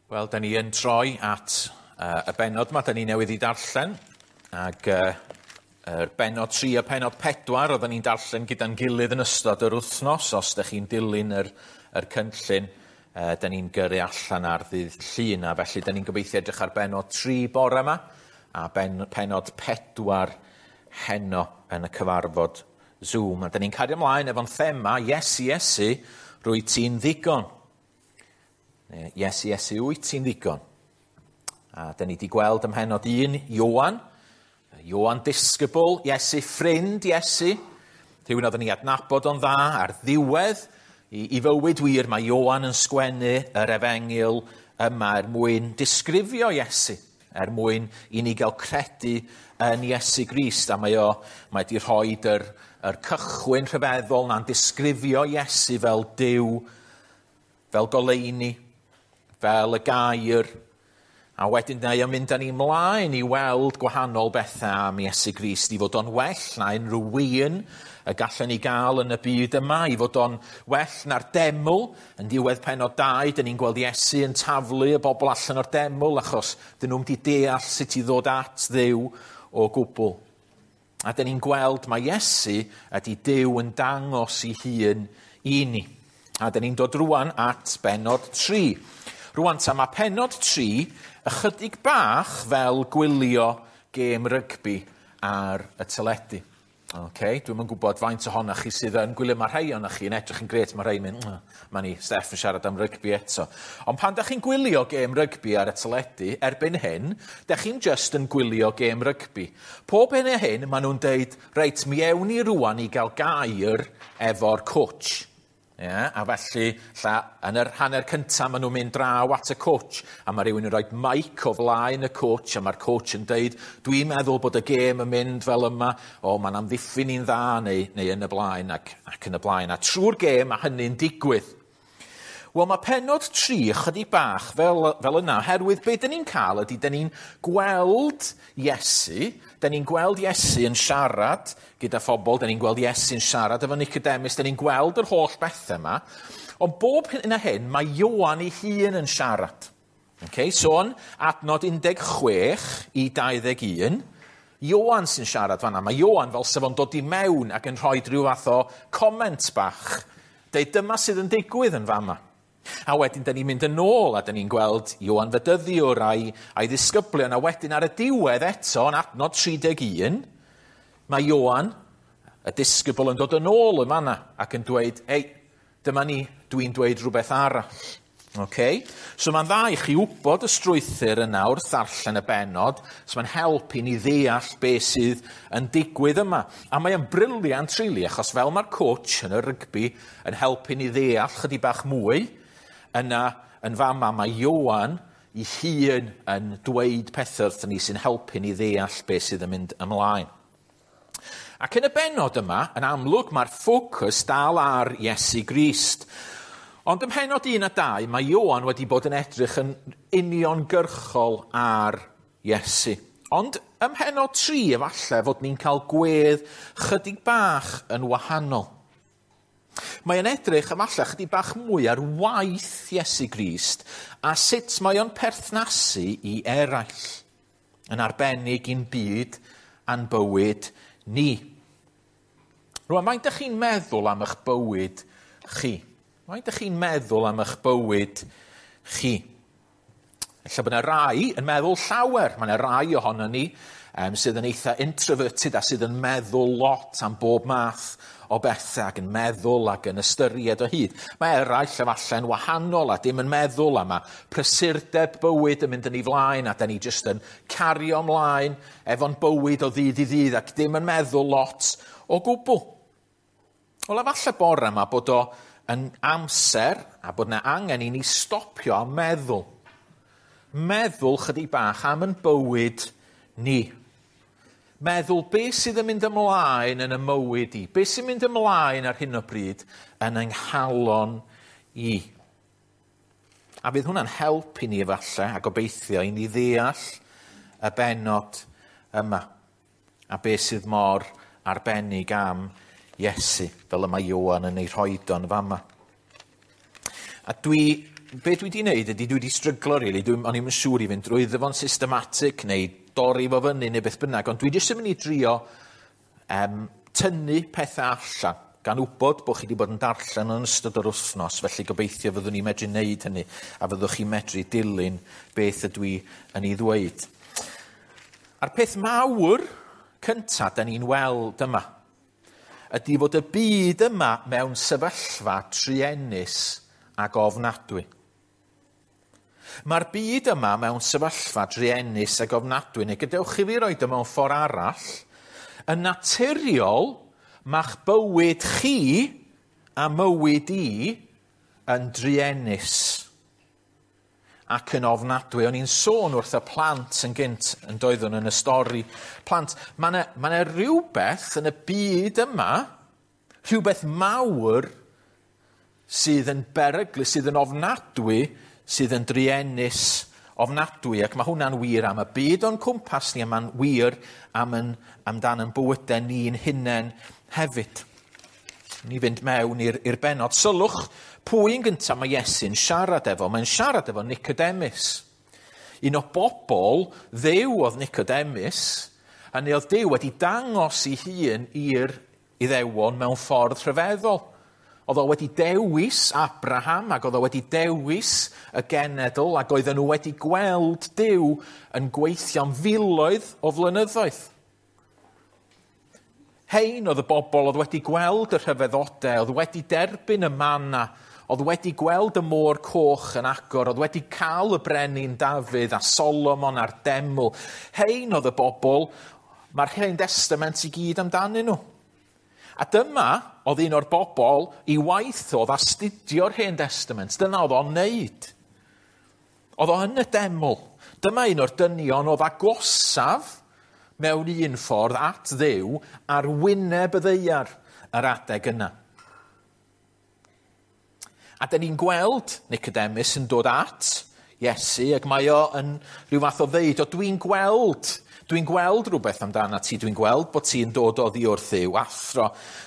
Wel, da ni yn troi at y bennod yma, da ni newydd i darllen, ac yr bennod 3 a pennod 4 oedden ni'n darllen gyda'n gilydd yn ystod yr wythnos. Os da chi'n dilyn yr cynllun, da ni'n gyrru allan ar ddydd Llun, a felly da ni'n gobeithio edrych ar bennod 3 bore yma, a pennod 4 heno yn y cyfarfod Zoom. A da ni'n cario ymlaen efo'n thema, Iesu, Iesu, rwyt ti'n ddigon. Iesu, Iesu, wyt ti'n ddigon? A da ni wedi gweld ym mhennod 1, Ioan. Ioan disgybl, Iesu ffrind Iesu. Rhywun oedden ni adnabod o'n dda ar ddiwedd i fywyd wir. Mae Ioan yn sgwennu yr efengyl yma er mwyn disgrifio Iesu, er mwyn i ni gael credu yn Iesu Grist. A mae wedi rhoi yr cychwyn rhyfeddol na'n disgrifio Iesu fel Duw, fel goleuni, fel y gair, a wedyn mae o'n mynd â ni mlaen i weld gwahanol bethau am Iesu Grist, i fod o'n well na unrhyw win y gallen ni gael yn y byd yma, i fod o'n well na'r deml. Yn diwedd pennod 2, dyn ni'n gweld Iesu yn taflu y bobl allan o'r deml, achos dyn nhw'm di deall sut i ddod at Dduw o gwbl. A dyn ni'n gweld mae Iesu ydy Duw yn dangos ei hun i ni. A dyn ni'n dod rwan at bennod 3. Rwan ta, mae pennod 3 ychydig bach fel gwylio gêm rygbi ar y teledu. Okay, dwi'm yn gwybod faint ohonoch chi sydd yn gwylio, mae rhai ohonoch chi yn edrych yn grêt, mae rhai yn mynd, mae ni Steff yn siarad am rygbi eto. Ond pan da chi'n gwylio gêm rygbi ar y teledu, erbyn hyn, da chi'n just yn gwylio gêm rygbi. Pob hyn a hyn, maen nhw'n deud, reit, mi ewn ni rwan i gael gair efo'r coach. Yeah, a felly, yn yr hanner cyntaf, maen nhw'n mynd draw at y coach, a mae rhywun yn rhoi mic o flaen y coach, a mae'r coach yn deud, dwi'n meddwl bod y gêm yn mynd fel yma, o, mae'n amddiffyn ni'n dda, neu yn y blaen, ac yn y blaen. A trwy'r gêm, mae hynny'n digwydd. Wel, mae pennod 3 ychydig bach fel yna, oherwydd be dyn ni'n cael ydy, dyn ni'n gweld Iesu, dyn ni'n gweld Iesu yn siarad gyda phobl, dyn ni'n gweld Iesu'n siarad efo Nicodemus, dyn ni'n gweld yr holl bethau yma, ond bob hyn a hyn, mae Ioan ei hun yn siarad. Okay, so yn adnod 16 i 21, Ioan sy'n siarad fan'na. Mae Ioan fel sef o'n dod i mewn ac yn rhoi rhyw fath o comment bach. Deud dyma sydd yn digwydd yn fama. A wedyn, dyn ni'n mynd yn ôl a dyn ni'n gweld Ioan Fedyddiwr a'i ddisgyblion. A wedyn ar y diwedd eto, yn adnod 31, mae Ioan, y disgybl, yn dod yn ôl yn fan'na ac yn dweud, ei, dyma ni, dwi'n dweud rhywbeth arall. Okay? So mae'n dda i chi wybod y strwythur yna wrth ddarllen y bennod, so mae'n help i ni ddeall beth sydd yn digwydd yma. A mae'n brilliant, really, achos fel mae'r coach yn y rygbi yn helpu ni ddeall chydig bach mwy, yna yn fama mae Ioan ei hun yn dweud pethau wrthyn ni sy'n helpu ni ddeall beth sydd yn mynd ymlaen. Ac yn y bennod yma, yn amlwg mae'r ffocws dal ar Iesu Grist. Ond ym mhennod 1 a 2, mae Ioan wedi bod yn edrych yn uniongyrchol ar Iesu. Ond ym mhennod 3, efallai fod ni'n cael gwedd chydig bach yn wahanol. Mae'n edrych efallai chydig bach mwy ar waith Iesu Grist a sut mae o'n perthnasu i eraill, yn arbennig i'n byd a'n bywyd ni. Rwan, faint ydych chi'n meddwl am eich bywyd chi? Faint ydych chi'n meddwl am eich bywyd chi? Ella bod yna rai yn meddwl llawer. Mae yna rai ohono ni sydd yn eitha introverted a sydd yn meddwl lot am bob math o bethau ac yn meddwl ac yn ystyried o hyd. Mae eraill efallai'n wahanol a dim yn meddwl, a mae prysurdeb bywyd yn mynd yn ei flaen a da ni jyst yn cario ymlaen efo'n bywyd o ddydd i ddydd ac dim yn meddwl lot o gwbl. Wel, efallai bore yma bod o yn amser a bod yna angen i ni stopio a meddwl. Meddwl chydig bach am yn bywyd ni. Meddwl beth sydd yn mynd ymlaen yn y mywyd i, beth sy'n mynd ymlaen ar hyn o bryd yn yng nghalon i. A fydd hwnna'n help i ni efallai a gobeithio i ni ddeall y bennod yma a beth sydd mor arbennig am Iesu, fel y mae Ioan yn ei rhoid o'n fama. A dwi be dwi wedi wneud ydy dwi wedi stryglo, really. O'n i'm yn siŵr i fynd drwyddo fo'n systematic neu dorri fo fyny neu beth bynnag, ond dwi jyst yn mynd i drio tynnu pethau allan, gan wybod bod chi wedi bod yn darllen yn ystod yr wythnos, felly gobeithio fyddwn ni'n medru wneud hynny, a fyddwch chi'n medru dilyn beth ydw i yn ei ddweud. A'r peth mawr cyntaf da ni'n weld yma, ydy fod y byd yma mewn sefyllfa truenus ac ofnadwy. Mae'r byd yma mewn sefyllfa druenus ac ofnadwy, neu gadewch i fi roid o mewn ffordd arall, yn naturiol, ma'ch bywyd chi a mywyd i yn druenus ac yn ofnadwy. O'n i'n sôn wrth y plant yn gynt yn doeddwn yn y stori. Plant, mae 'na rhywbeth yn y byd yma, rhywbeth mawr sydd yn beryglus, sydd yn ofnadwy, sydd yn druenus ofnadwy, ac mae hwnna'n wir am y byd o'n cwmpas ni, a mae'n wir amdan yn bywydau ni'n hunain hefyd. Ni fynd mewn i'r bennod. Sylwch pwy yn gyntaf mae Iesu'n siarad efo. Mae'n siarad efo Nicodemus. Un o bobl Dduw oedd Nicodemus, a neu oedd Duw wedi dangos ei hun i'r Iddewon mewn ffordd rhyfeddol. Oedd o wedi dewis Abraham, ac oedd o wedi dewis y genedl, ac oedden nhw wedi gweld Duw yn gweithio'n filoedd o flynyddoedd. Hein oedd y bobl oedd wedi gweld y rhyfeddodau, oedd wedi derbyn y manna, oedd wedi gweld y môr coch yn agor, oedd wedi cael y brenin Dafydd a Solomon a'r deml. Hein oedd y bobl, mae'r Hen Testament i gyd amdanyn nhw. A dyma oedd un o'r bobl i waith oedd astudio'r Hen Testament. Dyna oedd o'n neud. Oedd o yn y deml. Dyma un o'r dynion oedd agosaf mewn un ffordd at Dduw ar wyneb y ddaear yr adeg yna. A dyn ni'n gweld Nicodemus yn dod at Iesu, ac mae o yn rhyw fath o ddeud, o dwi'n gweld rhywbeth amdana ti, dwi'n gweld bod ti'n dod oddi wrth Dduw, athro,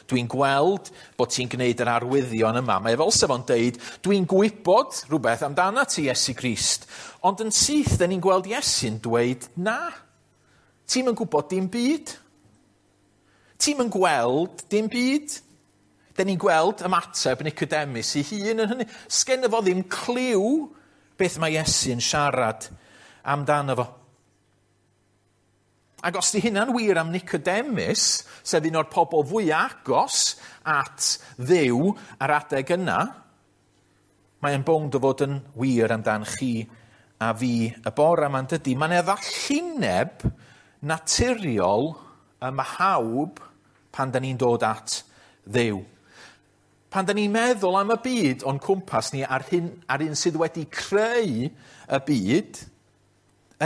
dwi'n gweld bod ti'n gwneud yr arwyddion yma. Mae fel sef o'n deud, dwi'n gwybod rhywbeth amdana ti, Iesu Grist. Ond yn syth, dyn ni'n gweld Iesu'n dweud, na, ti'm yn gwybod dim byd. Ti'm yn gweld dim byd. Dyn ni'n gweld ymateb Nicodemus ei hun yn hynny. Sgenno fo ddim cliw beth mae Iesu'n siarad amdano fo. Ac os di hynna'n wir am Nicodemus, sef un o'r pobl fwy agos at Dduw ar adeg yna, mae'n bownd o fod yn wir amdan chi a fi y bore yma'n dydy. Mae'n ddallineb naturiol ym mhawb pan da ni'n dod at Dduw. Pan da ni'n meddwl am y byd o'n cwmpas ni a'r un sydd wedi creu y byd,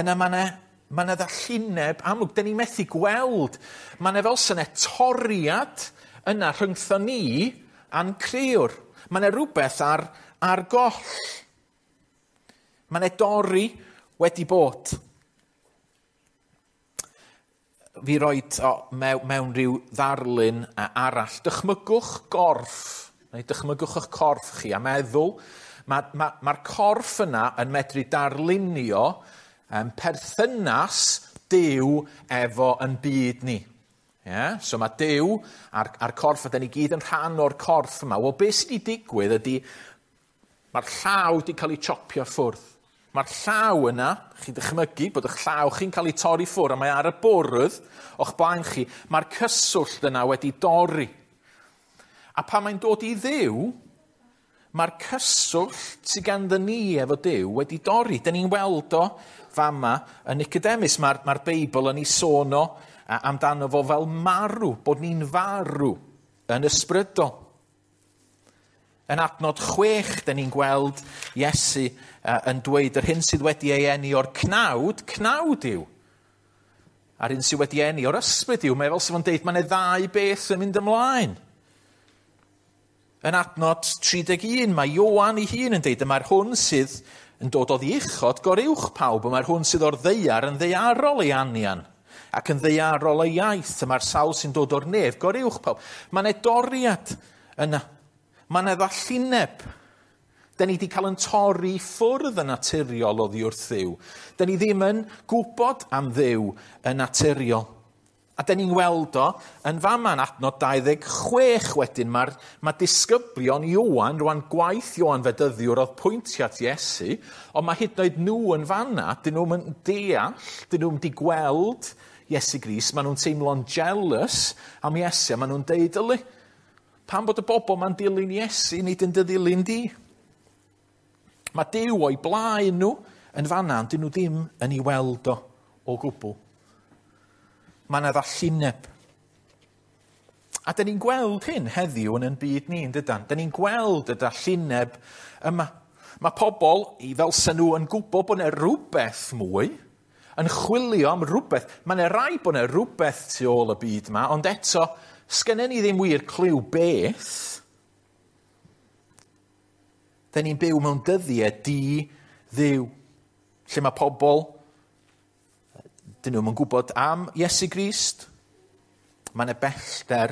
yna mae 'na ddallineb amlwg. Da ni'n methu gweld. Mae 'na fel sy'n toriad yna rhyngtho ni a'n crëwr. Mae 'na rhywbeth ar goll. Mae 'na dorri wedi bod. Fi roed o mewn rhyw ddarlun arall. Dychmygwch gorff, neu dychmygwch eich corff chi a meddwl. Mae'r corff yna yn medru darlunio perthynas Duw efo yn byd ni. Yeah? So mae Duw a'r corff, a da ni gyd yn rhan o'r corff yma. Wel, beth sydd wedi digwydd ydy, mae'r llaw wedi cael ei chopio ffwrdd. Mae'r llaw yna, chi'n dychmygu bod eich llaw chi'n cael ei torri ffwrdd, a mae ar y bwrdd o'ch blaen chi, mae'r cyswllt yna wedi dorri. A pan mae'n dod i Dduw, mae'r cyswllt sydd ganddo ni efo Duw wedi dorri. Dyn ni'n weld o fama yn Nicodemus. Mae'r Beibl yn ei sôn o amdano fo fel marw, bod ni'n farw yn ysbrydol. Yn adnod 6, dyn ni'n gweld Iesu yn dweud yr hyn sydd wedi ei eni o'r cnawd, cnawd yw. A'r hyn sydd wedi eni o'r ysbryd yw. Mae fel sydd yn deud, mae yna ddau beth yn mynd ymlaen. Yn adnod 31, mae Ioan ei hun yn deud, mae'r hwn sydd yn dod oddi uchod goruwch pawb, mae'r hwn sydd o'r ddaear yn ddaearol ei anian, ac yn ddaearol ei iaith, mae'r sawl sy'n dod o'r nef goruwch pawb. Mae yna doriad yna. Mae yna ddallineb. Da ni wedi cael yn torri ffwrdd yn naturiol oddi wrth Dduw. Da ni ddim yn gwybod am Dduw yn naturiol. A da ni'n weld o yn fama yn adnod 26 wedyn. Mae disgyblion Ioan, rwan gwaith Ioan Fedyddiwr oedd pwyntio at Iesu, ond mae hyd yn oed nhw yn fanna, dyn nhw'n deall, dyn nhw'n di gweld Iesu Grist, maen nhw'n teimlo'n jealous am Iesu, a maen nhw'n deud, yli, pam bod y bobl ma'n dilyn Iesu, nid yn dy ddilyn di? Mae Duw o'i blaen nhw yn fanna, ond dyn nhw ddim yn ei weld o o gwbl. Mae yna ddallineb. A dyn ni'n gweld hyn heddiw yn ein byd ni, yn dydan? Dyn ni'n gweld y dallineb yma. Mae pobl, i fel sy'n nhw yn gwybod bod yna rhywbeth mwy, yn chwilio am rhywbeth. Mae yna rai bod yna rhywbeth tu ôl y byd yma, ond eto, sgynnon ni ddim wir cliw beth. Dyn ni'n byw mewn dyddiau di-ddiw, lle mae pobl, dyn nhw'n gwybod am Iesu Grist. Mae yna bellter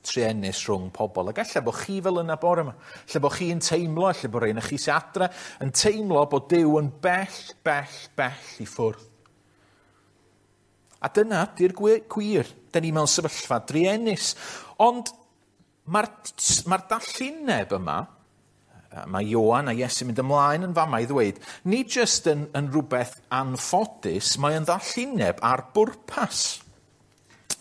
truenus rhwng pobl. Ac ella bod chi fel yna bore yma. Lle bod chi'n teimlo, lle bod rhain chi sy'n adre, yn teimlo bod Duw yn bell, bell, bell i ffwrdd. A dyna di'r gwir. Dyn ni mewn sefyllfa druenus. Ond mae'r ma dallineb yma, mae Ioan a Iesu'n mynd ymlaen yn fama i ddweud, nid jyst yn rhywbeth anffodus, mae yn ddallineb ar bwrpas.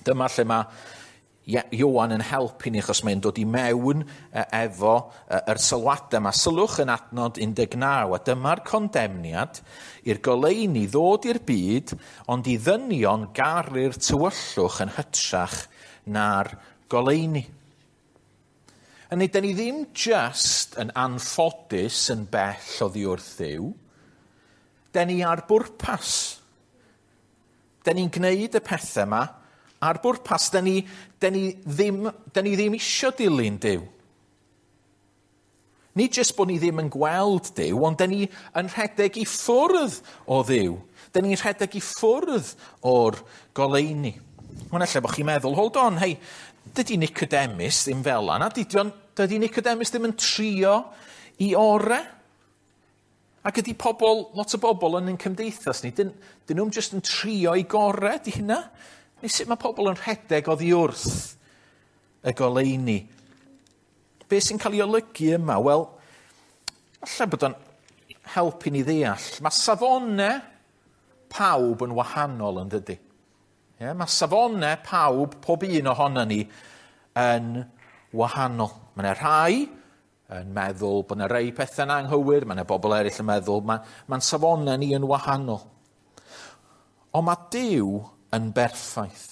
Dyma lle mae Ioan yn helpu ni, achos mae'n dod i mewn efo yr sylwadau yma. Sylwch yn adnod 19, a dyma'r condemniad i'r goleuni ddod i'r byd, ond i ddynion garu'r tywyllwch yn hytrach na'r goleuni. Hynny, dyn ni ddim just yn anffodus yn bell oddi wrth Dduw. Dyn ni ar bwrpas. Dyn ni'n gwneud y pethau yma ar bwrpas. Dyn ni ddim isio dilyn Duw. Nid jyst bod ni ddim yn gweld Duw, ond dyn ni yn rhedeg i ffwrdd o Dduw. Dyn ni'n rhedeg i ffwrdd o'r goleuni. Mae'n ella bod chi'n meddwl, hold on, hei, dydy Nicodemus ddim fel yna, dydy Nicodemus ddim yn trio i ore. Ac ydy pobl, lot o bobl yn ein cymdeithas ni, dyn nhw'n jyst yn trio i gore, di hynna? Neu sut mae pobl yn rhedeg oddi wrth y goleuni? Be sy'n cael ei olygu yma? Wel, falle bod o'n helpu ni ddeall. Mae safonau pawb yn wahanol yn dydy. Yeah, mae safonau pawb, pob un ohono ni, yn wahanol. Mae yna rhai yn meddwl bod yna rhai pethau'n anghywir, mae yna bobl eraill yn meddwl, mae'n safonau ni yn wahanol. Ond mae Duw yn berffaith.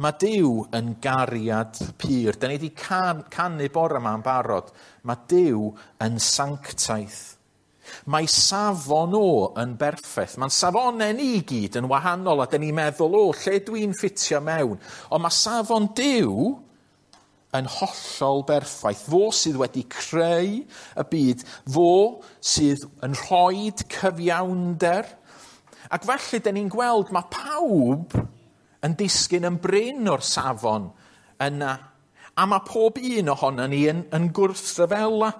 Mae Duw yn gariad pur. Da ni wedi canu bore yma yn barod. Mae Duw yn sanctaidd. Mae safon o yn berffaith. Mae'n safonau ni i gyd yn wahanol a dyn ni'n meddwl, o, lle dwi'n ffitio mewn? Ond mae safon Duw yn hollol berffaith. Fo sydd wedi creu y byd, fo sydd yn rhoi cyfiawnder. Ac felly, dyn ni'n gweld mae pawb yn disgyn yn brin o'r safon yna. A mae pob un ohono ni yn gwrthryfela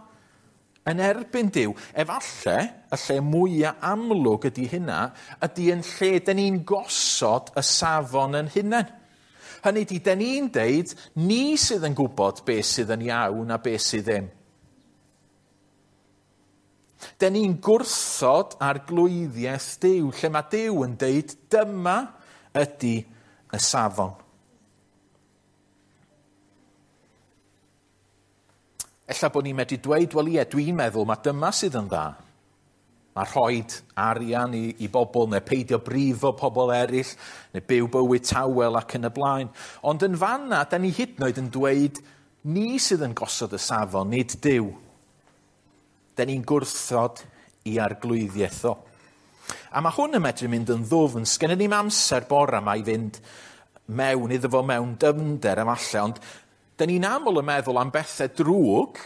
yn erbyn Duw. Efallai, y lle mwyaf amlwg ydy hynna, ydy yn lle dyn ni'n gosod y safon yn hunain. Hynny ydy, dyn ni'n deud, ni sydd yn gwybod beth sydd yn iawn a beth sydd ddim. Dyn ni'n gwrthod arglwyddiaeth Duw, lle mae Duw yn deud, dyma ydy y safon. Ella bod ni'n medru dweud, wel ie, dwi'n meddwl mae dyma sydd yn dda. Mae rhoi arian i bobl, neu peidio brifo pobl eraill, neu byw bywyd tawel ac yn y blaen. Ond yn fanna, da ni hyd yn oed yn dweud, ni sydd yn gosod y safon, nid Duw. Da ni'n gwrthod i arglwyddiaeth o. A mae hwn yn medru mynd yn ddwfn. Sgennyn ni'm amser bore yma i fynd mewn iddo fo mewn dyfnder efallai, ond dyn ni'n aml yn meddwl am bethau drwg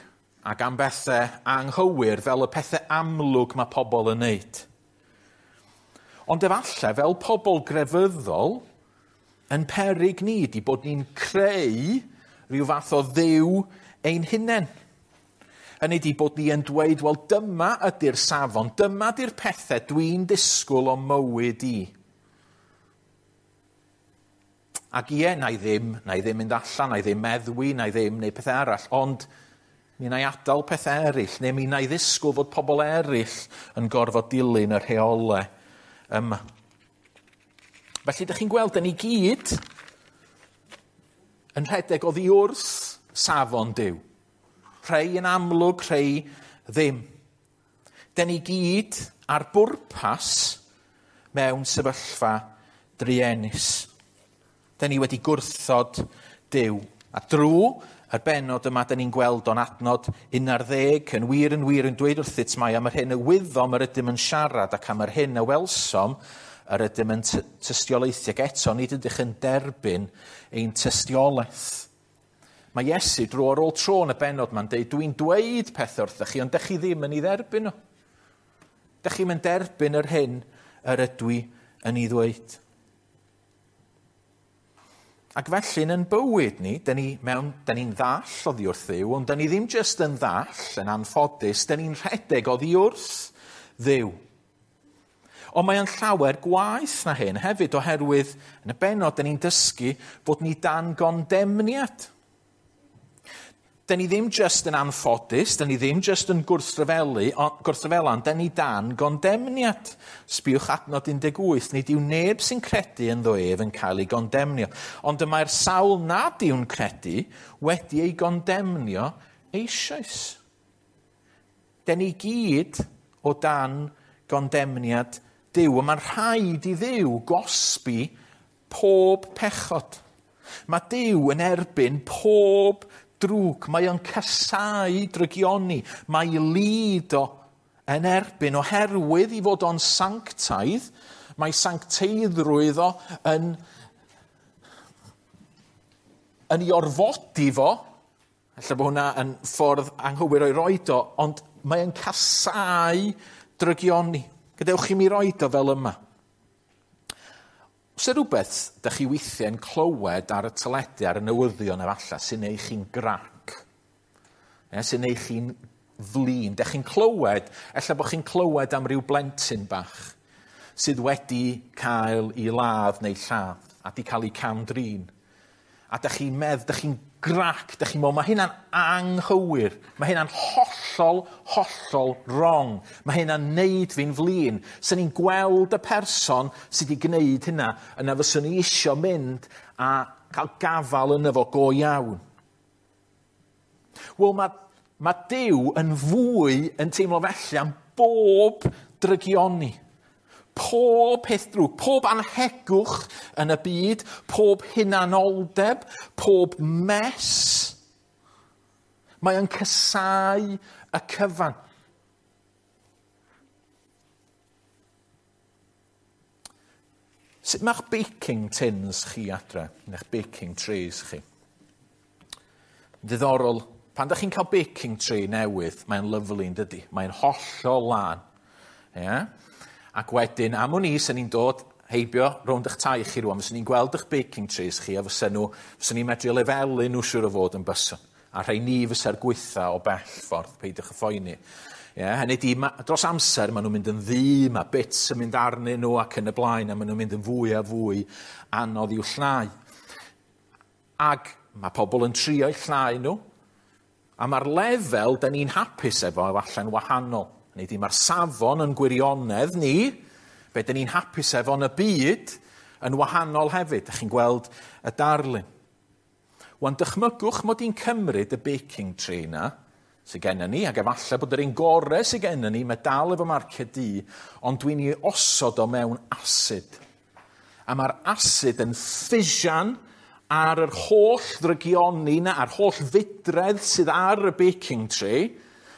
ac am bethau anghywir fel y pethau amlwg mae pobl yn neud. Ond efallai, fel pobl grefyddol, yn peryg ni ydi bod ni'n creu rhyw fath o dduw ein hunain. Hynny ydi bod ni yn dweud, wel dyma ydy'r safon, dyma ydy'r pethau dwi'n disgwyl o mywyd i. Ac ie, na i ddim mynd allan, na i ddim meddwi, na i ddim neud pethau arall, ond mi na i adael pethau eraill, neu mi na i ddisgwyl fod pobl eraill yn gorfod dilyn y rheolau yma. Felly, ydych chi'n gweld, dyn ni gyd yn rhedeg oddi wrth safon Duw. Rhai yn amlwg, rhai ddim. Dyn ni gyd ar bwrpas mewn sefyllfa druenus. Dyn ni wedi gwrthod Duw. A drwy yr bennod yma, dyn ni'n gweld o'n adnod 11, yn wir yn wir yn dweud wrthyt mai am yr hyn y wyddom yr ydym yn siarad ac am yr hyn y welsom yr ydym yn tystiolaethu. Ac eto, nid ydych yn derbyn ein tystiolaeth. Mae Iesu dro ar ôl tro yn y bennod ma'n deud, dwi'n dweud pethau wrthych chi, ond dych chi ddim yn ei dderbyn nhw. Dych chi'm yn derbyn yr hyn yr ydw i yn ei ddweud. Ac felly yn bywyd ni, dyn ni'n ddall oddi wrth Dduw, ond dyn ni ddim jyst yn ddall, yn anffodus, dyn ni'n rhedeg oddi wrth Dduw. Ond mae o'n llawer gwaeth na hyn hefyd, oherwydd yn y bennod dyn ni'n dysgu bod ni dan gondemniad. Dyn ni ddim jyst yn anffodus, dyn ni ddim jyst yn gwrthryfela, ond dyn ni dan gondemniad. Sbiwch adnod 18, nid yw neb sy'n credu ynddo ef yn cael ei gondemnio. Ond y mae'r sawl nad yw'n credu wedi ei gondemnio eisoes. Dyn ni gyd o dan gondemniad Duw, a mae'n rhaid i Dduw gosbi pob pechod. Mae Duw yn erbyn pob drwg, mae o'n casáu drygioni, mae lid o yn erbyn oherwydd i fod o'n sanctaidd, mae sancteiddrwydd o yn ei orfodi fo, ella bod hwnna yn ffordd anghywir o'i roed o, ond mae o'n casáu drygioni. Gadewch i mi roed o fel yma. Os yw rhywbeth dych chi weithiau'n clywed ar y teledu, ar y newyddion efallai, sy'n neud chi'n grac, sy'n neud chi'n flin. Dych chi'n clywed, ella bod chi'n clywed am ryw blentyn bach sydd wedi cael ei ladd neu lladd a di cael ei cam-drin. A dych chi'n meddwl, dych chi'n grac, dych chi'n meddwl, mae hynna'n anghywir, mae hynna'n hollol, hollol wrong, mae hynna'n neud fi'n flin. Swn i'n gweld y person sydd wedi gwneud hynna, yna fyswn i isio mynd a cael gafal yno fo go iawn. Wel, mae Duw yn fwy yn teimlo felly am bob drygioni. Pob peth drwg, pob anhegwch yn y byd, pob hunanoldeb, pob mess. Mae o'n casáu y cyfan. Sut mae'ch baking tins chi adre, neu'ch baking trays chi? Diddorol, pan dach chi'n cael baking tray newydd, mae'n lyfli yn dydi? Mae'n hollol lân. Yeah? Ac wedyn, am wn i, sy'n ni'n dod heibio rownd eich tai chi rwan, fyswn ni'n gweld eich baking trays chi, a fyswn ni'n medru lefelu nhw siŵr o fod yn byswn. A rhai ni fysa'r gwytha o bell ffordd, peidiwch â phoeni. Yeah, hynny di, dros amser maen nhw'n mynd yn ddu, mae bits yn mynd arnyn nhw ac yn y blaen, a maen nhw'n mynd yn fwy a fwy anodd i'w llnau. Ac mae pobl yn trio eu llnau nhw, a mae'r lefel da ni'n hapus efo efallai'n wahanol. Hynny ydi, mae'r safon yn gwirionedd ni, be dyn ni'n hapus efo yn y byd, yn wahanol hefyd. Dych chi'n gweld y darlun. Wan, dychmygwch mod i'n cymryd y baking tray na sydd gennym ni, ac efallai bod yr un gorau sydd gennym ni, mae dal efo marciau du, ond dwi'n ei osod o mewn asid. A mae'r asid yn ffisian ar yr holl ddrygioni na, a'r holl fudredd sydd ar y baking tray,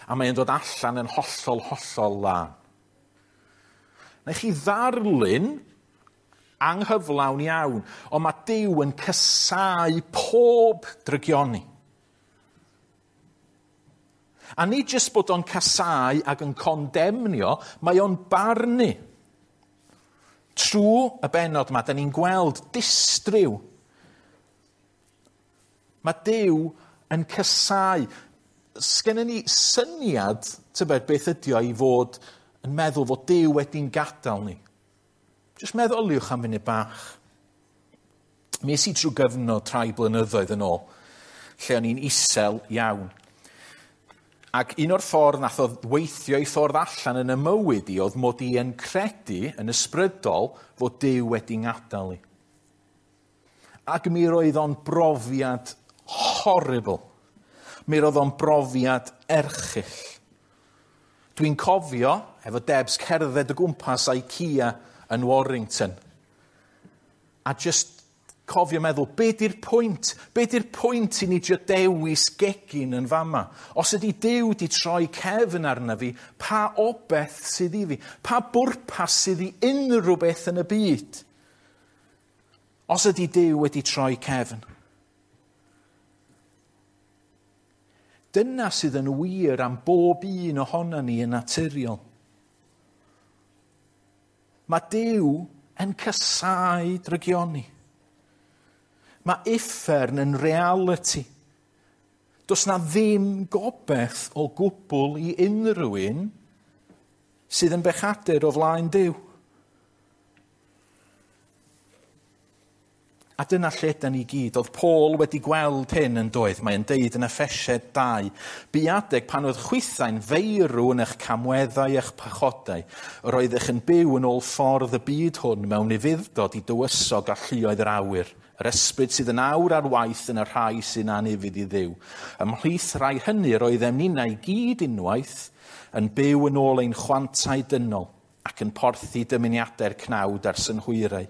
a mae'n dod allan yn hollol, hollol lân. Neu chi ddarlun anghyflawn iawn, ond mae Duw yn casáu pob drygioni. A nid jyst bod o'n casáu ac yn condemnio, mae o'n barnu. Trwy y bennod yma, da ni'n gweld distryw. Mae Duw yn casáu. Sgennyn ni syniad, tybed, beth ydi o i fod yn meddwl fod Duw wedi'n gadael ni? Jyst meddyliwch am funud bach. Mi es i trwy gyfnod rhai blynyddoedd yn ôl, lle o'n i'n isel iawn. Ac un o'r ffordd nath o weithio i ffordd allan yn y mywyd i oedd mod i yn credu yn ysbrydol fod Duw wedi ngadael i. Ac mi roedd o'n brofiad horrible. Mi roedd o'n brofiad erchyll. Dwi'n cofio, efo Debs, cerdded o gwmpas IKEA yn Warrington. A just cofio meddwl, be di'r pwynt? Be di'r pwynt i ni drio dewis gegin yn fama? Os ydy Duw di troi cefn arna fi, pa obeth sydd i fi? Pa bwrpas sydd i unrhyw beth yn y byd? Os ydy Duw wedi troi cefn. Dyna sydd yn wir am bob un ohono ni yn naturiol. Mae Duw yn casáu drygioni. Mae uffern yn reality. Does na ddim gobeith o gwbl i unrhyw un sydd yn bechadur o flaen Duw. A dyna lle da ni gyd. Oedd Paul wedi gweld hyn yn doedd. Mae'n deud yn Effesiaid 2. Bu adeg pan oedd chwithau'n feirw yn eich camweddau eich pechodau. Yr oeddech yn byw yn ôl ffordd y byd hwn mewn ufudd-dod i dywysog a lluoedd yr awyr. Yr ysbryd sydd yn awr ar waith yn y rhai sy'n anufudd i Dduw. Ymhlith rhai hynny yr oeddem ninnau i gyd unwaith yn byw yn ôl ein chwantau dynol ac yn porthi dymuniadau'r cnawd a'r synhwyrau.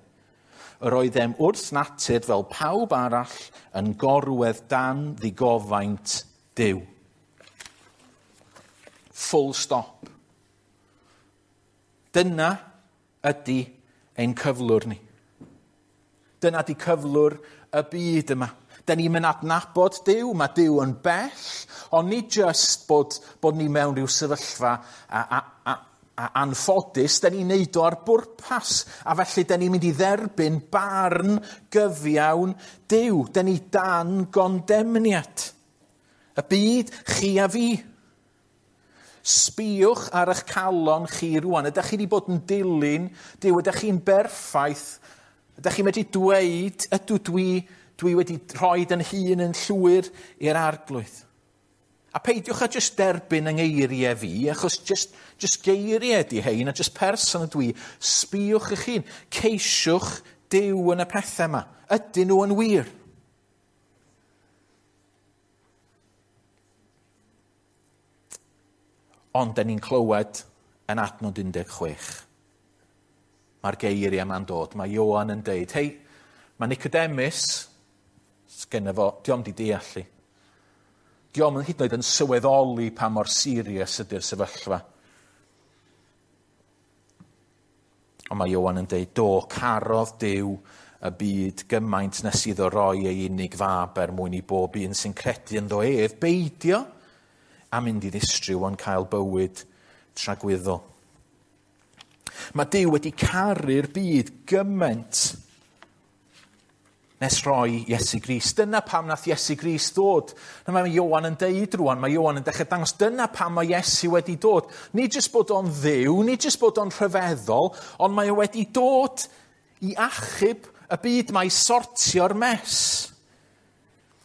Yr oeddem wrth natur fel pawb arall yn gorwedd dan ddigofaint Duw. Full stop. Dyna ydy ein cyflwr ni. Dyna ydy cyflwr y byd yma. Da ni'n mynd adnabod Duw, mae Duw yn bell, ond nid jyst bod ni mewn rhyw sefyllfa a anffodus, da ni'n neud o ar bwrpas, a felly da ni'n mynd i dderbyn barn gyfiawn Duw. Da ni dan gondemniad. Y byd, chi a fi. Sbïwch ar eich calon chi rwan. Ydych chi wedi bod yn dilyn Duw? Ydych chi'n berffaith? Ydych chi'n medru dweud, ydw dwi wedi rhoi yn hun yn llwyr i'r Arglwydd? A peidiwch â jyst derbyn yng ngeiriau fi, achos jyst geiriau ydi hein, a jyst person ydw i. Sbïwch eich hun, ceisiwch Duw yn y pethau yma. Ydyn nhw yn wir? Ond da ni'n clywed yn adnod 16. Mae'r geiriau yma'n dod. Mae Ioan yn deud, hei, mae Nicodemus, sgenna fo, dio'm di deall i. Dio'm yn hyd yn oed yn sylweddoli pa mor serious ydy'r sefyllfa. Ond mae Ioan yn deud, do, carodd Duw y byd gymaint nes iddo roi ei unig fab er mwyn i bob un sy'n credu ynddo ef beidio a mynd i ddistryw ond cael bywyd tragwyddol. Mae Duw wedi caru'r byd gymaint nes roi Iesu Grist. Dyna pam nath Iesu Grist ddod. Na mae Ioan yn deud rwan, mae Ioan yn dechrau dangos, dyna pam mae Iesu wedi dod. Nid jyst bod o'n Dduw, nid jyst bod o'n rhyfeddol, ond mae o wedi dod i achub y byd, mae sortio'r mess.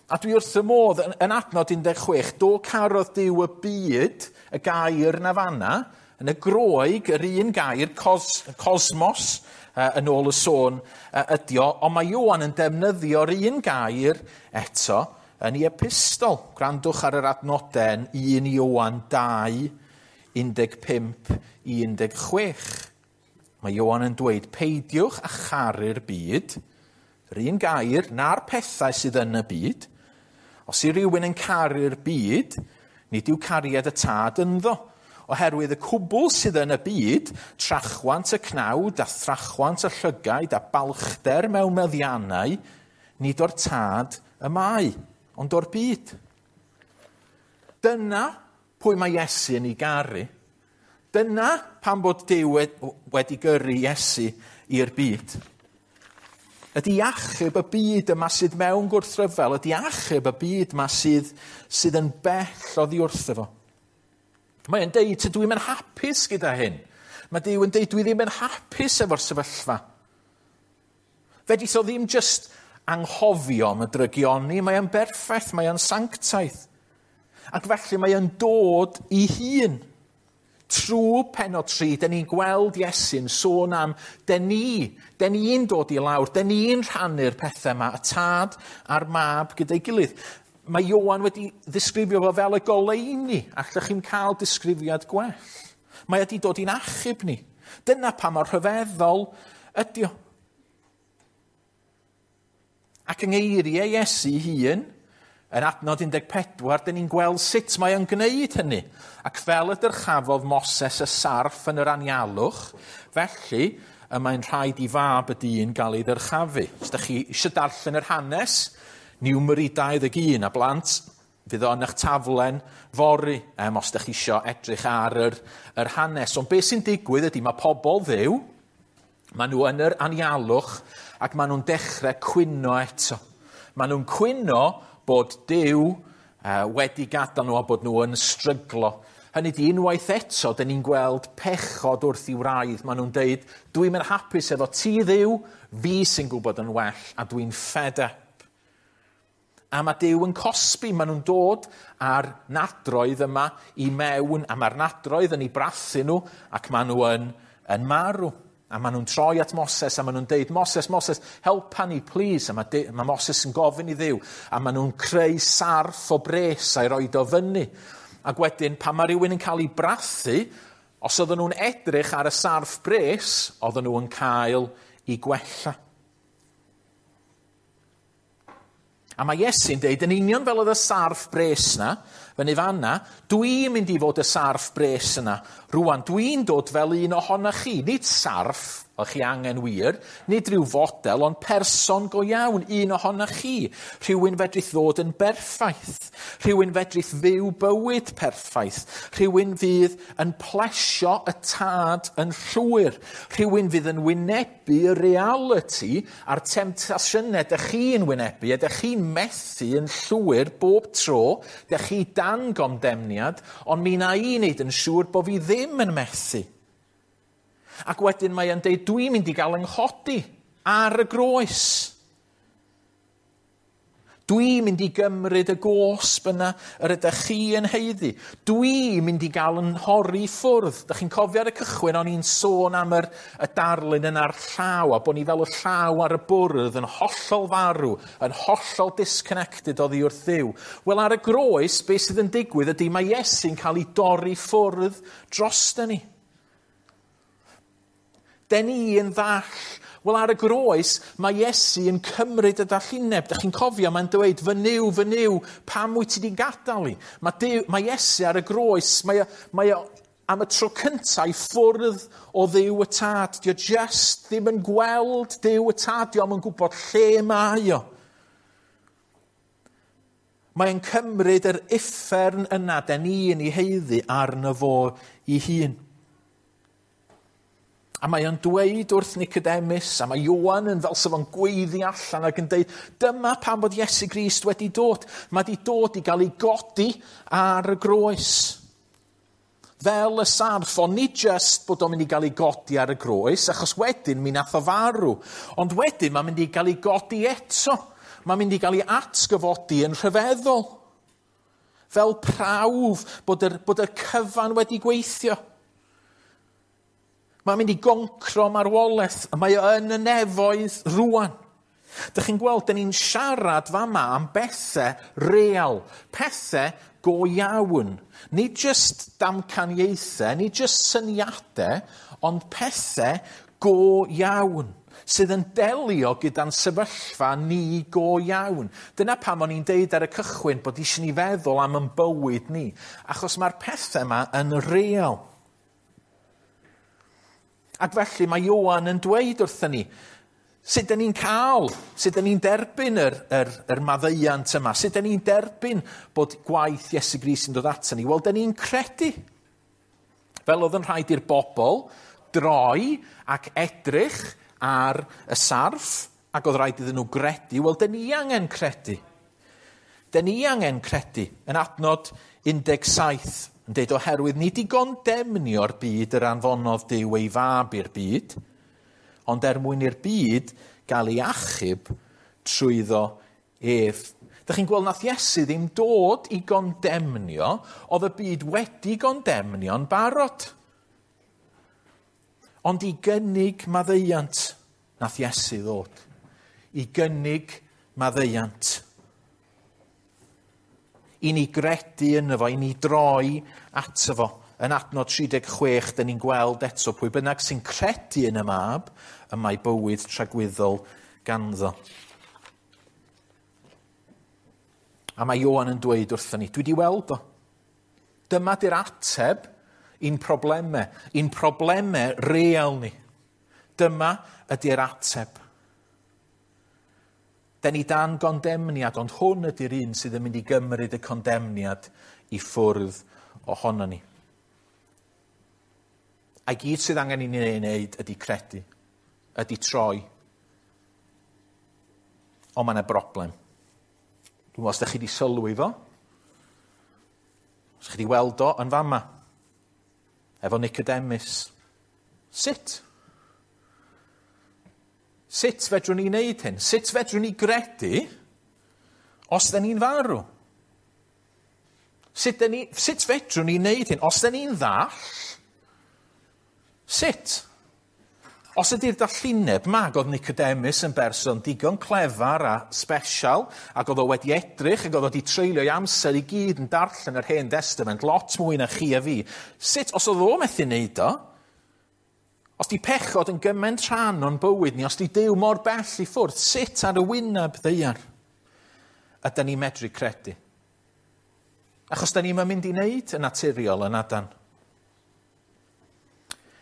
A dwi wrth y modd yn adnod 16, do carodd Duw y byd, y gair na fanna, yn y Groeg, yr un gair, cosmos, yn ôl y sôn ydi o, ond mae Ioan yn defnyddio'r un gair eto yn ei epistol. Gwrandwch ar yr adnodau yn 1 Ioan 2, 15 i 16. Mae Ioan yn dweud, peidiwch â charu'r byd, yr un gair, na'r pethau sydd yn y byd. Os yw rhywun yn caru'r byd, nid yw cariad y tad ynddo. Oherwydd y cwbl sydd yn y byd, trachwant y cnawd a thrachwant y llygaid a balchder mewn meddiannau, nid o'r tad y mae, ond o'r byd. Dyna pwy mae Iesu yn ei garu. Dyna pam bod Duw wedi gyrru Iesu i'r byd. Ydy achub y byd yma sydd mewn gwrthryfel, ydy achub y byd yma sydd yn bell oddi wrtho fo. Mae'n deud, tydw i'm yn hapus gyda hyn. Mae Duw yn deud, dwi ddim yn hapus efo'r sefyllfa. Fedrith o ddim just anghofio am y drygioni, mae o'n berffaith, mae o'n sanctaidd. Ac felly mae o'n dod i hun. Trwy pennod 3, dyn ni'n gweld Iesu'n sôn am dyn ni'n dod i lawr, dyn ni'n rhannu'r pethau yma, y tad a'r mab gyda'i gilydd. Mae Ioan wedi ddisgrifio fo fel y goleuni, allwch chi'n cael disgrifiad gwell. Mae wedi dod i'n achub ni. Dyna pa mor rhyfeddol ydi o. Ac yng ngeiriau Iesu hun, yn adnod 14, dyn ni'n gweld sut mae o'n gwneud hynny. Ac fel y dyrchafodd Moses y sarff yn yr anialwch, felly y mae'n rhaid i fab y dyn gael ei ddyrchafu. Os ydych chi eisiau darllen yr hanes, Numeri 21 a blant, fydd o yn eich taflen fory, os ydych chi eisiau edrych ar yr hanes. Ond beth sy'n digwydd ydy mae pobl Dduw, maen nhw yn yr anialwch ac maen nhw'n dechrau cwyno eto. Maen nhw'n cwyno bod Duw wedi gadael nhw a bod nhw yn stryglo. Hynny ydi, unwaith eto, dyn ni'n gweld pechod wrth i wraidd. Maen nhw'n deud, dwi'n mynd hapus efo ti Dduw, fi sy'n gwybod yn well, a dwi'n fed up. A mae Duw yn cosbi, maen nhw'n dod â'r nadroedd yma i mewn, a mae'r nadroedd yn eu brathu nhw, ac maen nhw yn marw. A maen nhw'n troi at Moses, a maen nhw'n deud, Moses, Moses, helpa ni, please. A mae Moses yn gofyn i Dduw, a maen nhw'n creu sarff o bres a'i roed o fyny. Ac wedyn, pan mae rhywun yn cael ei brathu, os oedden nhw'n edrych ar y sarff bres, oedden nhw'n cael ei gwella. A mae Iesu'n deud, yn union fel oedd y sarff bres na, fyny fanna, dwi'n mynd i fod y sarff bres yna. Rwan, dwi'n dod fel un ohonoch chi, nid sarff, o'ch chi angen wir, nid rhyw fodel, ond person go iawn, un ohonoch chi. Rhywun fedrith ddod yn berffaith, rhywun fedrith fyw bywyd perffaith, rhywun fydd yn plesio y tad yn llwyr, rhywun fydd yn wynebu y reality a'r temtasiynau dych chi'n wynebu, a dych chi'n methu yn llwyr bob tro, dych chi dan gondemniad, ond mi na i wneud yn siŵr bod fi ddim yn methu. Ac wedyn mae e'n deud, dwi'n mynd i gael yng nghodi ar y groes. Dwi'n mynd i gymryd y gosb yna yr ydych chi yn haeddu. Dwi'n mynd i gael yn nhorri ffwrdd. Dych chi'n cofio ar y cychwyn, o'n i'n sôn am y darlun yna'r llaw, a bod ni fel y llaw ar y bwrdd yn hollol farw, yn hollol disconnected oddi wrth Dduw. Wel, ar y groes, beth sydd yn digwydd ydy mae Iesu'n cael ei dorri ffwrdd drosta ni. Den ni yn ddall. Wel, ar y groes, mae Iesu yn cymryd y dallineb. Dych chi'n cofio, mae'n dweud, fy Nuw, pam wyt ti 'di gadael i? Mae Iesu ar y groes, mae o am y tro cyntaf i ffwrdd o Dduw y Tad. Dio just ddim yn gweld Duw y Tad, dio yn gwybod lle mae o. Mae'n cymryd yr uffern yna, den ni yn ei haeddu arno fo ei hun. A mae o'n dweud wrth Nicodemus, a mae Ioan yn fel sef o'n gweiddi allan ac yn dweud, dyma pam bod Iesu Grist wedi dod. Mae wedi dod i gael ei godi ar y groes. Fel y sarff, ond nid just bod o'n mynd i gael ei godi ar y groes, achos wedyn mi nath o farw. Ond wedyn mae'n mynd i gael ei godi eto. Mae'n mynd i gael ei atgyfodi yn rhyfeddol. Fel prawf bod y cyfan wedi gweithio. Mae'n mynd i goncro marwolaeth, a mae o yn y nefoedd rwan. Dych chi'n gweld, dyn ni'n siarad fama am bethau real, pethau go iawn. Nid just damcaniaethau, nid just syniadau, ond pethau go iawn sydd yn delio gyda'n sefyllfa ni go iawn. Dyna pam o'n i'n deud ar y cychwyn bod eisiau ni feddwl am yn bywyd ni, achos mae'r pethau yma yn real. Ac felly mae Ioan yn dweud wrthyn ni, sut dyn ni'n cael, sut dyn ni'n derbyn yr maddeuant yma, sut dyn ni'n derbyn bod gwaith Iesu Grist yn dod ato ni? Wel, dyn ni'n credu. Fel oedd yn rhaid i'r bobl droi ac edrych ar y sarff Ac oedd rhaid iddyn nhw gredu. Wel, dyn ni angen credu. Dyn ni angen credu. Yn adnod 17, yn deud oherwydd nid i gondemnio'r byd yr anfonodd Duw ei fab i'r byd, ond er mwyn i'r byd gael ei achub trwyddo ef. Dych chi'n gweld nath Iesu ddim dod i gondemnio, oedd y byd wedi gondemnio'n barod. Ond i gynnig maddeuant nath Iesu ddod. I gynnig maddeuant. I ni gredu yno fo, i ni droi ato fo. Yn adnod 36, dyn ni'n gweld eto pwy bynnag sy'n credu yn y mab, y mae bywyd tragwyddol ganddo. A mae Ioan yn dweud wrthon ni, dwi wedi weld o. Dyma di'r ateb i'n problemau, i'n problemau real ni. Dyma ydy'r ateb. Den ni dan gondemniad, ond hwn ydy'r un sydd yn mynd i gymryd y condemniad i ffwrdd ohono ni. A gyd sydd angen i ni ei wneud ydy credu, ydy troi. Ond mae yna broblem. Dwi'n meddwl os ydych chi wedi sylwi fo, os chi wedi weld o yn fama, efo Nicodemus. Sut? Sut fedrwn ni wneud hyn? Sut fedrwn ni gredu os da ni'n farw? Sut, ni, sut fedrwn ni wneud hyn? Os da ni'n ddall, sut? Os ydy'r dallineb ma, ac oedd Nicodemus yn berson digon clefar a special, ac oedd o wedi edrych, ac oedd o wedi treulio ei amser i gyd yn darllen yr Hen Testament, lot mwy na chi a fi. Sut, os oedd o methu wneud o, os di pechod yn gymaint rhan o'n bywyd ni, os di Duw mor bell i ffwrdd, sut ar y wyneb ddaear ydy ni'n medru credu? Achos da ni'n mynd i wneud yn naturiol yn adan.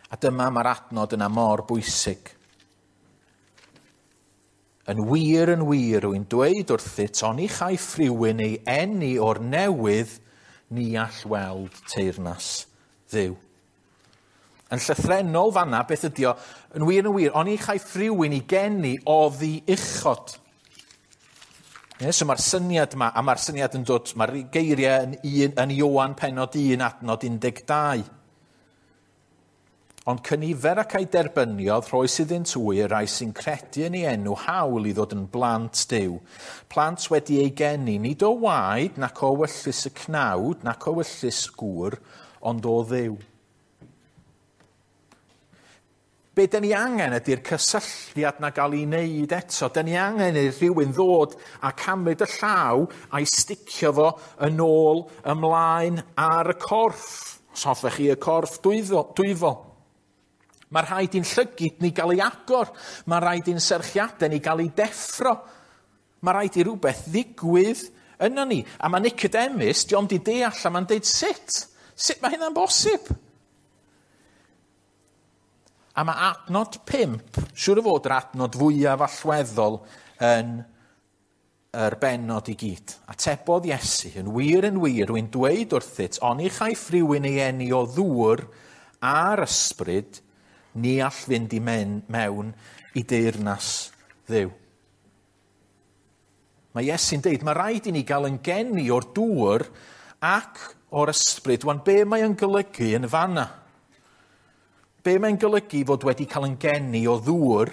A dyma mae'r adnod yna mor bwysig. Yn wir, yn wir, rwy'n dweud wrthyt, oni chaiff rhywun ei eni o'r newydd, ni all weld teyrnas Dduw. Yn llythrennol fanna, beth ydi o? Yn wir, yn wir, oni chaiff rhywun ei geni oddi uchod. Ie, so mae'r syniad yma, a mae'r syniad yn dod, mae'r geiriau yn, un, yn Ioan pennod 1 adnod 12. Ond cynifer ac a'i derbyniodd, rhoes iddynt hwy y rai sy'n credu yn ei enw hawl i ddod yn blant Duw. Plant wedi ei geni, nid o waed, nac o wyllys y cnawd, nac o wyllys gŵr, ond o Dduw. Be dyn ni angen ydy'r cysylltiad na gael ei wneud eto. Dyn ni angen i rhywun ddod a camryd y llaw a'i sticio fo yn ôl ymlaen ar y corff. Os hoffech chi y corff dwyfol. Mae rhaid i'n llygid ni gael ei agor. Mae rhaid i'n serchiadau ni gael ei deffro. Mae rhaid i rhywbeth ddigwydd yno ni. A mae Nicodemus, di o'm di deall, a mae'n deud sut? Sut mae hynna'n bosib? A mae adnod 5, siŵr o fod yr adnod fwyaf allweddol yn yr bennod i gyd. Atebodd Iesu, yn wir, yn wir, rwy'n dweud wrthyt, oni chaiff rhywun ei eni o ddŵr a'r ysbryd, ni all fynd i mewn i deyrnas Dduw. Mae Iesu'n deud, mae rhaid i ni gael yn geni o'r dŵr ac o'r ysbryd. Wan, be mae yn golygu yn fanna? Be mae'n golygu fod wedi cael yn geni o ddŵr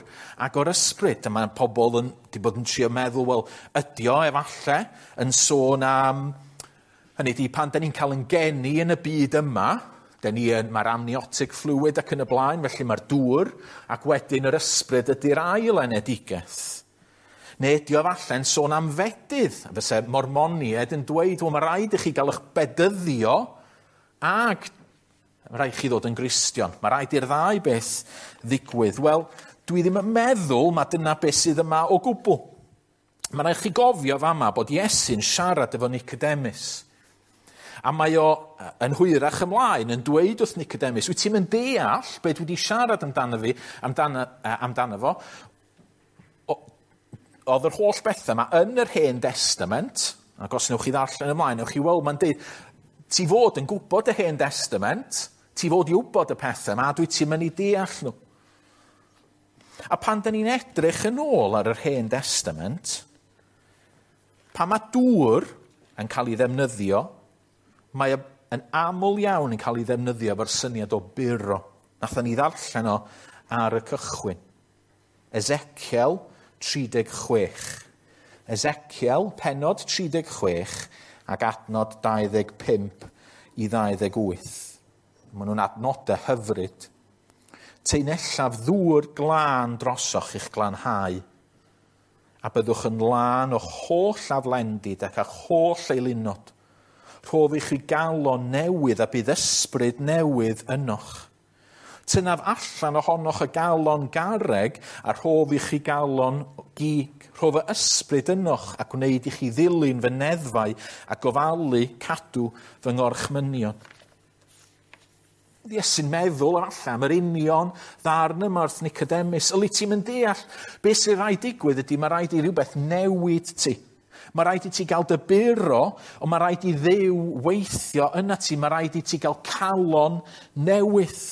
ac o'r ysbryd? A mae pobl yn, di bod yn trio meddwl, wel, ydi o efallai yn sôn am... Hynny ydi, pan da ni'n cael yn geni yn y byd yma, mae'r amniotic fluid ac yn y blaen, felly mae'r dŵr, ac wedyn yr ysbryd ydy'r ail enedigaeth. Neu ydi o efallai'n sôn am fedydd. Fyse Mormoniaid yn dweud, wel, mae rhaid i chi gael eich bedyddio ac mae rhaid chi ddod yn Gristion. Mae rhaid i'r ddau beth ddigwydd. Wel, dwi ddim yn meddwl mae dyna beth sydd yma o gwbl. Mae rhaid chi gofio fama bod Iesu'n siarad efo Nicodemus. A mae o yn hwyrach ymlaen yn dweud wrth Nicodemus, wyt ti'n mynd deall beth dwi wedi siarad amdano fi, amdano, amdano fo? Oedd yr holl bethau yma yn yr Hen Testament, ac os newch chi ddarllen ymlaen, newch chi weld mae'n deud, ti fod yn gwybod y Hen Testament, ti fod i wybod y pethau yma, a dwi ti'n mynd i deall nhw. A pan da ni'n edrych yn ôl ar yr Hen Testament, pan mae dŵr yn cael ei ddefnyddio, mae yn aml iawn yn cael ei ddefnyddio efo'r syniad o buro. Nathon ni ddarllen o ar y cychwyn. Ezekiel 36. Ezekiel, pennod 36 ac adnod 25 i 28. Maen nhw'n adnodau hyfryd. Taenellaf ddŵr glân drosoch i'ch glanhau, a byddwch yn lân o'ch holl aflendid ac a'ch holl eilunod. Rhof i chi galon newydd a bydd ysbryd newydd ynoch. Tynaf allan ohonoch y galon garreg a rhof i chi galon gig. Rhof y ysbryd ynoch a gwneud i chi ddilyn fy neddfau a gofalu cadw fy ngorchmynion. Iesu'n meddwl efallai am yr union ddarn yma wrth Nicodemus. Yli ti'n mynd deall beth sy'n rhaid digwydd ydy mae rhaid i rhywbeth newid ti. Mae rhaid i ti gael dy buro, ond mae rhaid i Dduw weithio yna ti. Mae rhaid i ti gael calon newydd.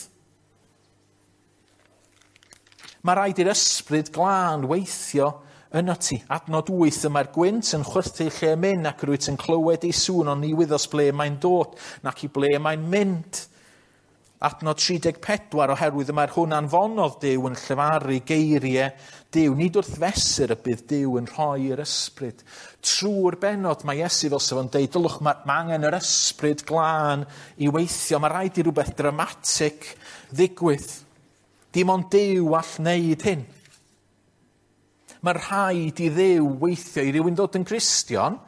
Mae rhaid i'r ysbryd glân weithio yno ti. Adnod 8, y mae'r gwynt yn chwythu lle mynd ac rwyt yn clywed ei sŵn, ond ni wyddos ble mae'n dod, nac i ble mae'n mynd. Adnod 34, oherwydd y mae'r hwn anfonodd Duw yn llefaru geiriau Duw. Nid wrth fesur y bydd Duw yn rhoi'r ysbryd. Trwy'r bennod mae Iesu fel sef o'n deud, dylwch, mae angen yr ysbryd glân i weithio. Mae rhaid i rhywbeth dramatig ddigwydd. Dim ond Duw all wneud hyn. Mae rhaid i Dduw weithio i rywun ddod yn Gristion.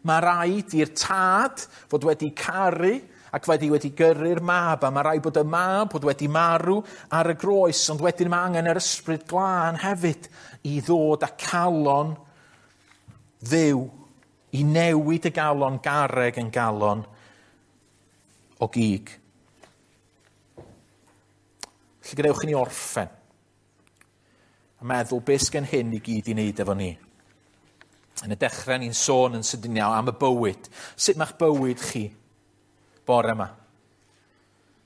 Mae rhaid i'r tad fod wedi caru ac wedi gyrru'r mab, a mae rhaid bod y mab bod wedi marw ar y groes, ond wedyn mae angen yr ysbryd glân hefyd i ddod â calon Dduw, i newid y galon garreg yn galon o gig. Felly gadewch i ni orffen a meddwl beth sgen hyn i gyd i wneud efo ni. Yn y dechrau ni'n sôn yn sydyn iawn am y bywyd. Sut mae'ch bywyd chi bore yma?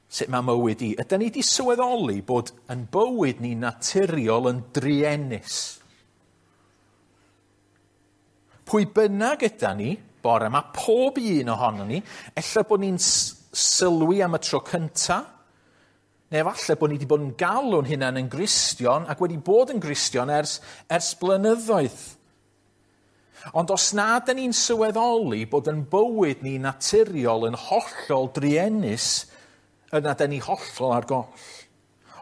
Sut mae mywyd i? Ydy ni wedi sylweddoli bod yn bywyd ni naturiol yn druenus? Pwy bynnag yda ni bore yma, pob un ohono ni, ella bod ni'n sylwi am y tro cynta, neu efallai bod ni wedi bod yn galw'n hunain yn Gristion ac wedi bod yn Gristion ers blynyddoedd. Ond os na dyn ni'n sylweddoli bod yn bywyd ni naturiol yn hollol druenus, yna dyn ni hollol ar goll.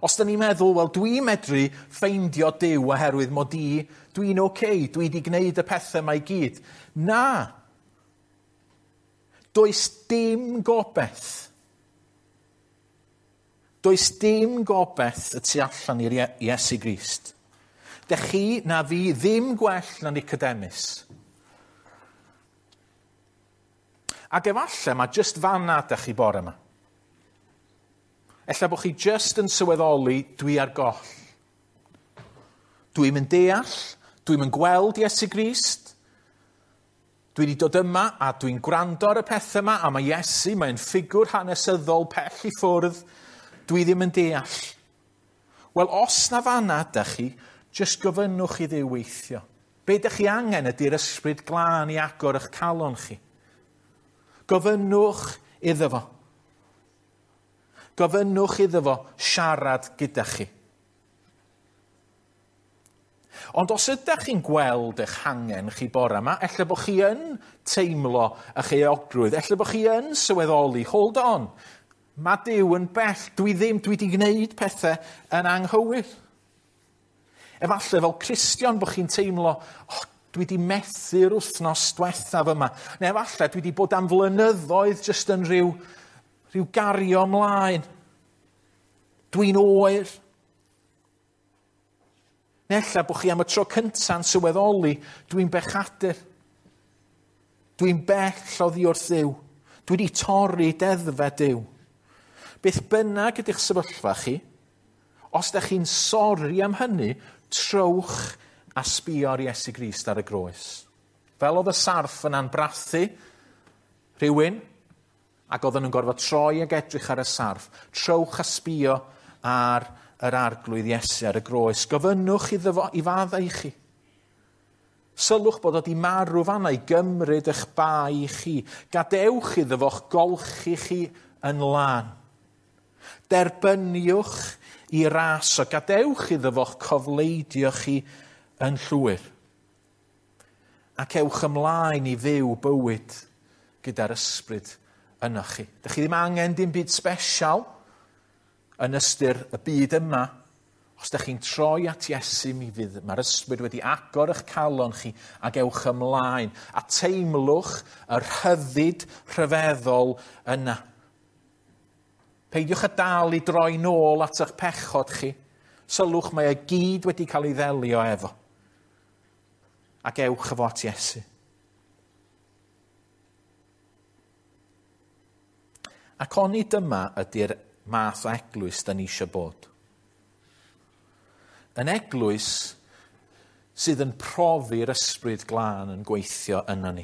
Os dyn ni'n meddwl, wel, dwi'n medru ffeindio Duw oherwydd mod i, dwi'n oce, dwi wedi gwneud y pethau yma i gyd. Na. Does dim gobaith. Does dim gobaith y tu allan i'r Iesu Grist. Dech chi na fi ddim gwell na Nicodemus. Ac efallai mae jyst fanna dych chi bore yma. Ella bod chi jyst yn sylweddoli dwi ar goll. Dwi'm yn deall, dwi'm yn gweld Iesu Grist. Dwi wedi dod yma a dwi'n gwrando ar y pethau yma, a mae Iesu, mae'n ffigwr hanesyddol pell i ffwrdd. Dwi ddim yn deall. Wel, os na fanna ydych chi, jyst gofynnwch i Dduw weithio. Be ydych chi angen ydy'r ysbryd glân i agor eich calon chi. Gofynnwch iddo fo. Gofynnwch iddo fo siarad gyda chi. Ond os ydych chi'n gweld eich hangen chi bore yma, ella bod chi yn teimlo eich euogrwydd, ella bod chi yn sylweddoli, hold on, mae Duw yn bell, dwi wedi gwneud pethau yn anghywir. Efallai fel Cristion bod chi'n teimlo, oh, dwi wedi methu'r wythnos diwethaf yma. Neu efallai dwi wedi bod am flynyddoedd jyst yn rhyw gario ymlaen. Dwi'n oer. Neu ella bod chi am y tro cynta'n sylweddoli, dwi'n bechadur. Dwi'n bell oddi wrth Dduw. Dwi wedi torri deddfau Duw. Beth bynnag ydych sefyllfa chi, os ydych chi'n sori am hynny, trowch a sbio ar Iesu Grist ar y groes. Fel oedd y sarff yna'n brathu rhywun, ac oedden nhw'n gorfod troi ag edrych ar y sarff, trowch a sbio ar yr Arglwydd Iesu ar y groes. Gofynnwch iddo fo i faddau i chi. Sylwch bod o 'di marw fanna i gymryd eich bai chi. Gadewch iddo fo'ch golchi chi yn lân. Derbyniwch i ras o, gadewch iddo fo'ch cofleidio chi yn llwyr. Ac ewch ymlaen i fyw bywyd gyda'r ysbryd ynoch chi. Dych chi ddim angen dim byd sbesial yn ystyr y byd yma. Os dych chi'n troi at Iesu, mi fydd, mae'r ysbryd wedi agor eich calon chi ac ewch ymlaen a teimlwch y rhyddid rhyfeddol yna. Peidiwch â dal i droi nôl at eich pechod chi. Sylwch, mae e gyd wedi cael ei ddelio efo. Ac ewch efo at Iesu. Ac oni dyma ydy'r math o eglwys da ni eisiau bod. Yn eglwys sydd yn profi'r ysbryd glân yn gweithio yna ni.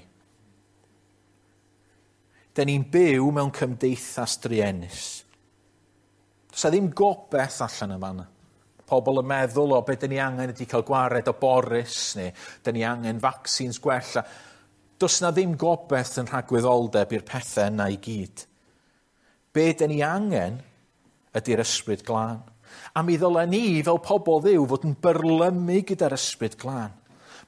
Da ni'n byw mewn cymdeithas druenus. Does 'na ddim gobaith allan yn fanna. Pobl yn meddwl o be da ni angen ydy cael gwared o Boris, neu da ni angen vaccines gwella. Does 'na ddim gobaith yn rhagwyddoldeb i'r pethau yna i gyd. Be da ni angen ydy'r ysbryd glân. A mi ddylen ni, fel pobl Dduw, fod yn byrlymu gyda'r ysbryd glân.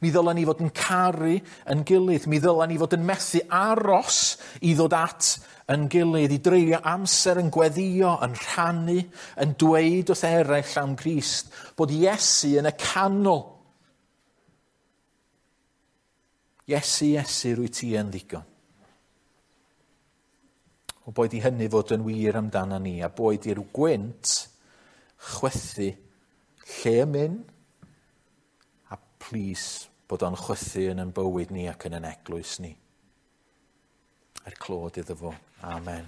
Mi ddylen ni fod yn caru yn gilydd. Mi ddylen ni fod yn methu aros i ddod at yn gilydd, i dreulio amser yn gweddio, yn rhannu, yn dweud wrth eraill am Grist, bod Iesu yn y canol. Iesu, Iesu, rwy ti yn ddigon. O boed i hynny fod yn wir amdano ni, a boed i'r gwynt chwythu lle y myn, a plîs bod o'n chwythu yn ein bywyd ni ac yn ein eglwys ni. Er clod iddo fo. Amen.